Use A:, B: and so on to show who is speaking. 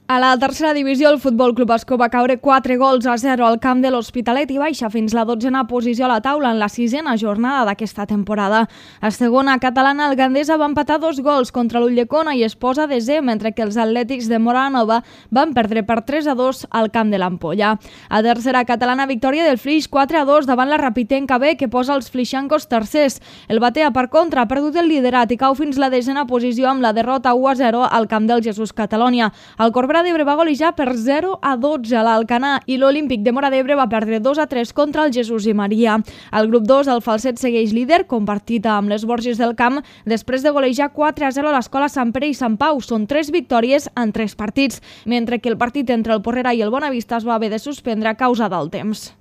A: A la tercera divisió, el Futbol Club Ascó va caure 4-0 al camp de l'Hospitalet i baixa fins la 12a posició a la taula en la 6a jornada d'aquesta temporada. A segona catalana, el Gandesa va empatar 2 contra l'Ulldecona i es posa desè, mentre que els Atlètics de Móra-la-Nova van perdre per 3-2 al camp de l'Ampolla. A tercera catalana, victòria del Flix 4-2 davant la Rapitenca B, que posa els flixancos tercers. El Batea, per contra, ha perdut el liderat i cau fins la 10a posició amb la derrota 1-0 al camp del Jesús Catalònia. El Corbera d'Ebre va golejar per 0-12 a l'Alcanar i l'Olímpic de Móra d'Ebre va perdre 2-3 contra el Jesús i Maria. Al grup 2, el Falset segueix líder, compartit amb les Borges del Camp, després de golejar 4-0 a l'Escola Sant Pere i Sant Pau. Són 3 victòries en 3 partits, mentre que el partit entre el Porrera i el Bonavista es va haver de suspendre a causa del temps.